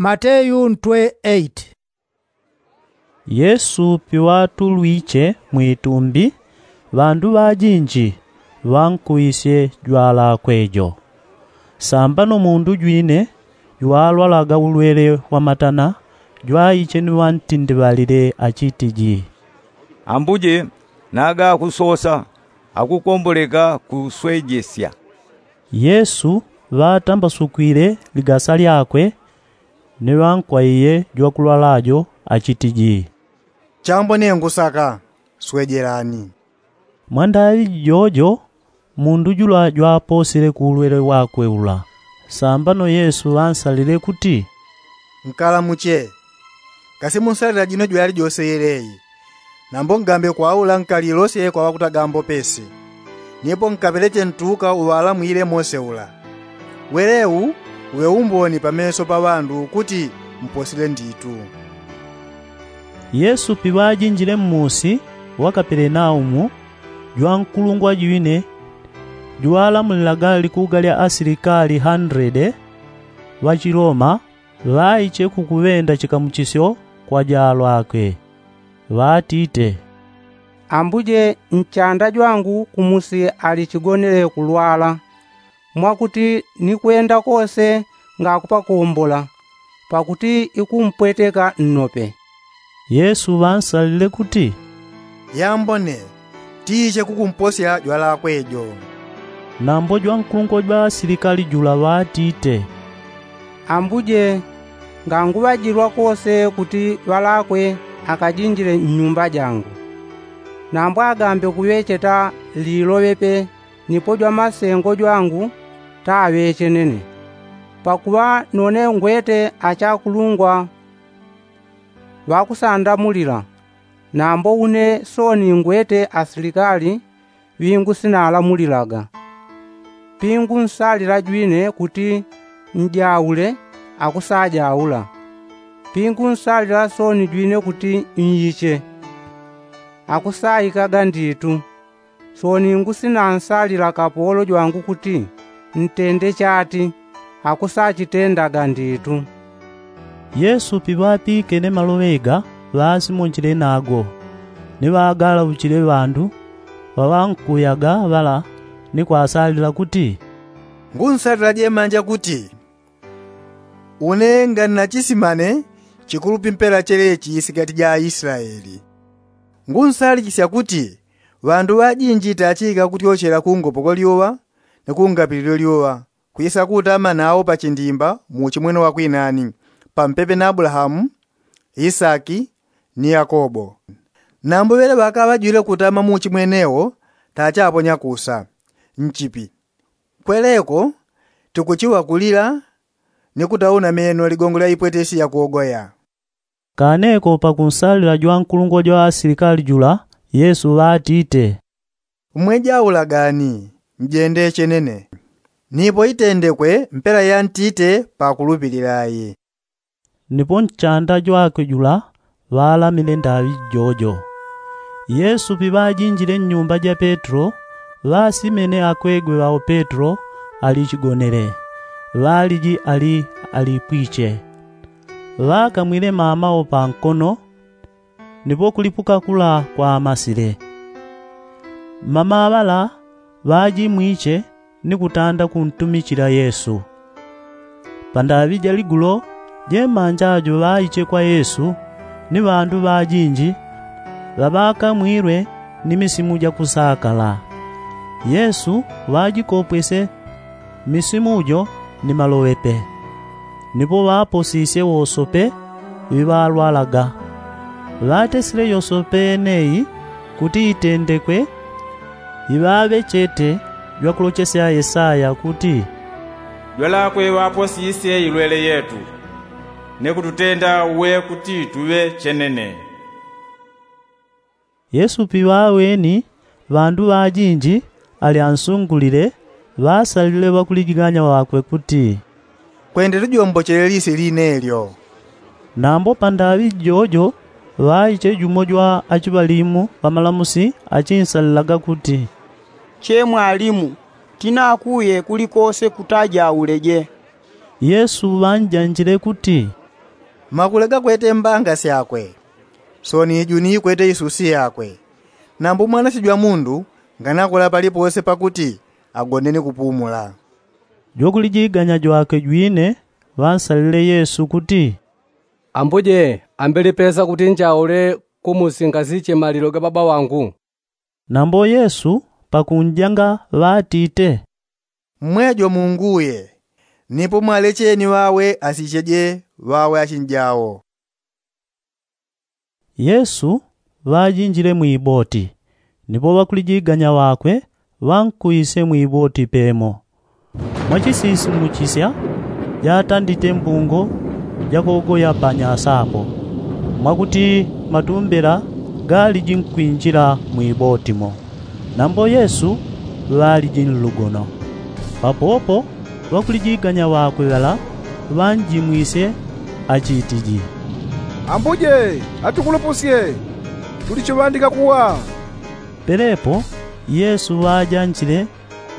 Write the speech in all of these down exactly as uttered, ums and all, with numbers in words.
Mateyu ntwe eight. Yesu piŵatulwiche mwitumbi, ŵandu ŵajinji ŵankuwisye jwalakwe jo. Sambano mundu jwine jwalwalaga ulwele wa matana jwaiche ni ŵantindiŵalile achitiji, Ambuje, naga akusosa, akukomboleka kuswejesya. Yesu ŵatambasukwile ligasa lyakwe, ni ŵankwaiye jwakulwala jo achitiji, Chambo ne ngusaka, swejelani. Mwandaŵi jojo mundu jula jwaposile ku ulwele wakwe ula. Sambano Yesu ŵansalile kuti, Nkalamuche. Kasi munsalila jino jwali jose yeleyi? Nambo ngambe kwaula nkalilosye kwa ŵakutagambo pesi, nipo nkapeleche ntuka uŵalamwile mose ula. Welewu uŵe umboni pameso pa ŵandu kuti mposile nditu. Yesu piŵajinjile mmusi wa kapelenaumu, jwankulungwa jwine jwalamulilaga likuga lya asilikali handrede ŵachiloma ŵaiche kukuŵenda chikamuchisyo kwa jalwakwe, ŵatite, Ambuje, nchanda jwangu kumusi ali chigonele kulwala, mwakuti nikwenda kose ngakupakombola, pakuti ikumpweteka nnope. Yesu ŵansalile kuti, Yambone, tiche kukumposya jwalakwe jo. Nambo jwankulungwa jwa asilikali jula ŵatite, Ambuje, nganguŵajilwa kose kuti ŵalakwe akajinjile nnyumba jangu. Nambo agambe kuŵecheta liloŵepe, nipo jwamasengo jwangu taŵechenene. Pakuŵa none ngwete achakulungwa ŵakusandamulila, nambo une sooni ngwete asilikali ŵingusinaalamulilaga. Pingunsalila jwine kuti njaule, akusajaula. Pingunsalila sooni jwine kuti nyiche, akusaikaga nditu. Sooni ngusinansalila kapolo jwangu kuti ntende chati, akusachitendaga nditu. Yesu piŵapikene maloŵe ga ŵasimonjile nago, ni ŵagalauchile ŵandu ŵaŵankuyaga ŵala, ni kwasalila kuti, Ngunsalila jemanja kuti une ngani na chisimane chikulupi mpela chelechi isikati ja aisilaeli. Ngunsalichisya kuti ŵandu ŵajinji tachiika kutyochela ku ngopo kwa lyuŵa ni ku ngapililo lyuŵa, kwisa kutama nawo pa chindimba mu uchimwene wa kwinani, pampepe na abulahamu, isaki, ni yakobo. Nambo ŵele ŵakaŵa jwile kutama mu uchimwene wo, tachaponya kusa nchipi. Kweleko tikuchiŵa kulila ni kutauna meno ligongo lya ipwetesi ya kuogoya. Kaneko pakunsalila jwankulungwa jwa asilikali jula, yesu ŵatite, mmwejaula gani, njende chenene. Nipo itendekwe mpela yantite pakulupilila ayi. Nipo nchanda jwakwe jula ŵalamile ndaŵi jojo. Yesu piŵajinjile nnyumba ja petro, ŵasimene akwegwe ŵao petro ali chigonele, ŵaliji ali alipwiche. Ŵakamwile mama wo pankono, nipo kulipuka kula kwamasile. Mama ŵala ŵajimwiche ni kutanda kuntumichila yesu. Pandaŵi ja ligulo jemanja jo ŵaiche kwa yesu, ni ŵandu ŵajinji ŵaŵakamwilwe ni misimu ja kusakala. Yesu ŵajikopwesye misimu jo ni maloŵepe. Nipo ŵaposisye wosope ŵiŵalwalaga. Ŵatesile yosope yeneyi kuti itendekwe iŵaŵechete jwakulochesya yesaya kuti, jwalakwe ŵaposisye ilwele yetu, ni kututenda uwe kuti tuŵe chenene. Yesu piŵaweni ŵandu ŵajinji ali ansungulile, ŵasalile ŵakulijiganya ŵakwe kuti, kwende tujombochele lise line lyo. Nambo pandaŵi jojo ŵaiche jumo jwa achiŵalimu ŵamalamusi achinsalilaga kuti, che mwalimu, tinakuye kulikose kutajauleje. Yesu ŵanjanjile kuti, Makulega kwete mbanga syakwe, soni ijuni kwete isusi yakwe. Nambo mwanasijwa mundu nganakola palipose pakuti agone ni kupumula. Jwakulijiganya jwakwe jwine ŵansalile yesu kuti, ambuje, ambelipesa kuti njaule kumusi ngasiche malilo ga baba wangu. Nambo yesu pakunjanga ŵatite, mmwejo munguye, nipo mwalecheni ŵawe asicheje ŵawe achinjao. Yesu ŵajinjile mwiboti, nipo ŵakulijiganya ŵakwe ŵankuise mwiboti pemo. Mwachisisimuchisya jatandite mbungo jakogoya panyasa apo, mwakuti matumbela galiji nkwinjila mwiboti mo. Nambo yesu ŵaliji nlugono. Papopo ŵakulijiganya ŵakwe ŵala ŵanjimwisye achitiji, ambuje, atukulupusye, tulichiŵandika kuwa. Pelepo yesu ŵajanjile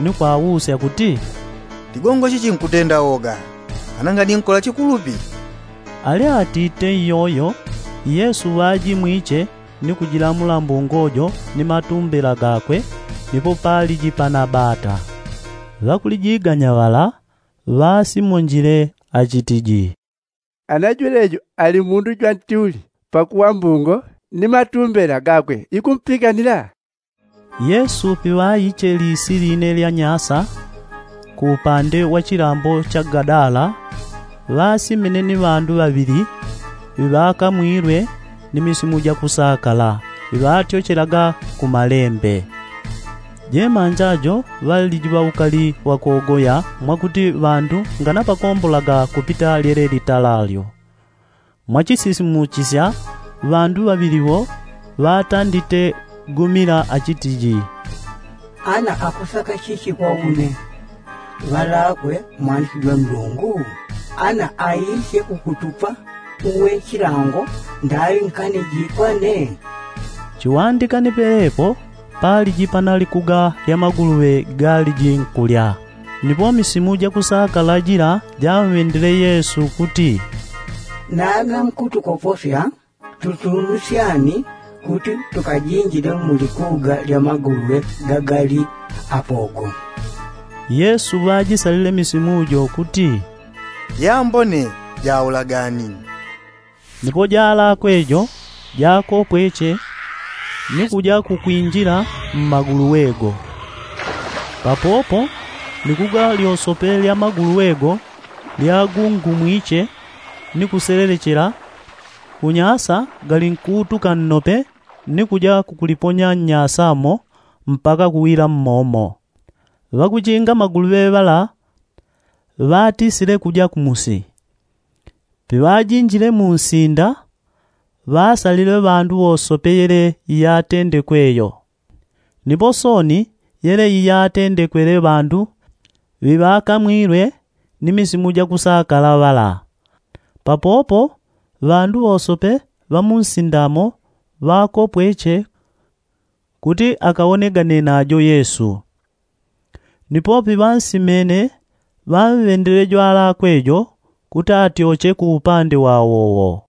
ni kwausya kuti, tigongo chichi nkutenda oga, ana nganinkola chikulupi? Ali atite iyoyo yesu ŵajimwiche ni kujilamula mbungo jo ni matumbela gakwe. Nipo paliji panabata. Ŵakulijiganya ŵala ŵasimonjile achitiji, ana jwelejo ali mundu jwantuli, pakuŵa mbungo ni matumbela gakwe ikumpikanila. Yesu piŵaiche lisi line lya nyasa ku upande wa chilambo cha gadala, ŵasimene ni ŵandu ŵaŵili ŵiŵakamwilwe ni misimu ja kusakala, ŵiŵatyochelaga ku malembe. Jemanja jo ŵaliji ŵaukali wakogoya mwakuti ŵandu nganapakombolaga kupita lyele litalalyo. Mwachisisimuchisya ŵandu ŵaŵili ŵo ŵatandite gumila achitiji, ana akusaka chichi kwa une? Ŵalakwe mwanisi jwa ndungu, ana aisye kukutupa uwe chilango ndali nkane jikwane? Chiŵandikani pelepo paliji panali kuga lya maguluŵe galiji nkulya. Nipo misimu ja kusakala jila jamŵendele yesu kuti, nana nkutukoposya tutunusyani kuti tukajinjile mu likuga lya maguluŵe gagali apogo. Yesu ŵajisalile misimu jo kuti, yambone jaulagani. Nipo jalakwe jo jakopweche ni kuja kukwinjila mmaguluŵe go. Papopo likuga lyosope lya maguluŵe go lyagungumwiche ni kuselelechela, kunyasa galinkuutuka nnope ni kuja kukuliponya nnyasa mo mpaka kuwila mmomo. Ŵakuchinga maguluŵe ŵala ŵatisile kuja kumusi. Piŵajinjile mu nsinda, ŵasalile ŵandu ŵosope yele iyatendekwe yo. Nipo sooni yele iyatendekwele ŵandu ŵiŵakamwilwe ni misimu ja kusakala ŵala. Papopo ŵandu ŵosope ŵa mu nsinda mo ŵakopweche kuti akawonegane najo yesu. Nipo piŵansimene ŵamŵendele jwalakwe jo kuti atyoche ku upande wawowo.